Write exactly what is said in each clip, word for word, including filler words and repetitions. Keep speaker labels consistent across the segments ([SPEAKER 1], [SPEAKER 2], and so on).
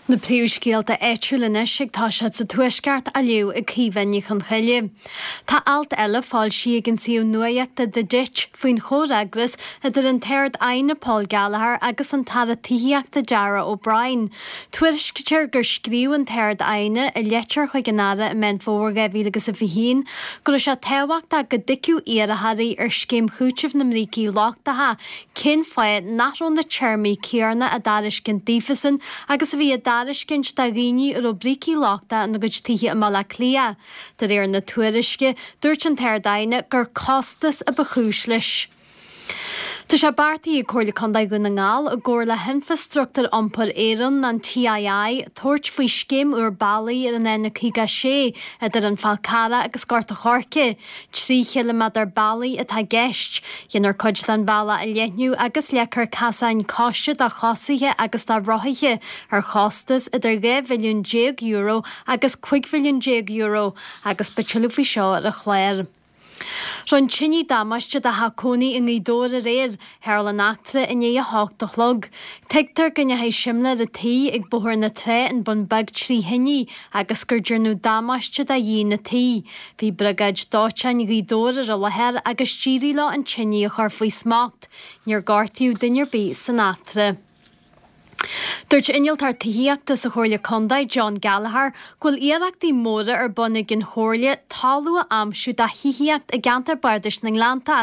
[SPEAKER 1] Na príomhscéalta áitiúla anois ag toiseacht sa Tuaisceart á léamh ag Caoimhe Ní Chonchoille. Tá alt eile foilsithe ag an suíomh nuachta The Ditch faoin chomhfhreagras idir an tArd-Aighne Paul Gallagher agus an tAire Tithíochta Darragh O'Brien. Tuairiscítear gur scríobh an tArd-Aighne i leitir chuig an Aire i Meán Fómhair dhá mhíle agus a fiche haon go raibh sé tábhachtach go dtuigfeadh iarrthóirí ar scéim chúitimh na mbrící lochtacha cén fáth nach raibh na téarmaí céanna á dtairiscint daofasan agus a bhí á dtairiscint do dhaoine a raibh brící lochtacha ina gcuid tithe i mBaile Átha Cliath. De réir na tuairisce, dúirt an tArd-Aighne gur costas a ba chúis leis. Tá sé beartaithe ag Comhairle Contae Dhún na nGall i gcomhar le hInfrastruchtúr Iompair Éireann, an TII, tabhairt faoi scéim úr bealaigh ar an N caoga a sé idir an Fál Carrach agus Gort an Choirce. Trí chiliméadar bealaigh atá i gceist. Déanfar cuid den bhealach a leathnú agus leagfar casáin coise do chosaithe agus do rothaithe ar chostas idir dhá mhilliún déag euro agus cúig mhilliún déag euro agus beidh tuilleadh faoi seo ar an chlár. Rinne tine damáiste do theach cónaí i nGaoth Dobhair aréir, tharla an eachtra i ndiaidh a hocht a chlog. Tuigtear go ndeachaigh simléar an tí ag Bóthar na Trá an Bun Beag trí thine agus gur déanadh damáiste do dhíon an tí. Bhí briogáid dóiteáin Ghaoth Dobhair ar an láthair agus d'éirigh leo an tine a chur faoi smacht. Níor gortaíodh duine ar bith san eachtra. Dúirt innealtóir tithíochta sa Chomhairle Contae, John Gallagher, go bhfuil iarrachtaí móra ar bun ag an Chomhairle talamh a aimsiú do thithíocht i gceantar Bardais na nGleannta.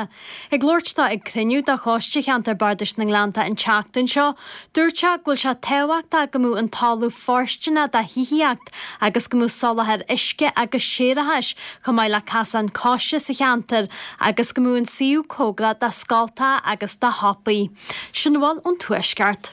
[SPEAKER 1] Ag labhairt dó ag cruinniú de Choiste Cheantar Bardais na nGleannta an tseachtain seo, dúirt sé go bhfuil sé tábhachtach go mbeadh an talamh fóirsteanach do thithíocht agus go mbeadh soláthar uisce agus séarachais chomh maith le casán coise sa cheantar agus go mbeadh an suíomh cóngarach do scoltacha agus do shiopaí. Sin a bhfuil ón Tuaisceart.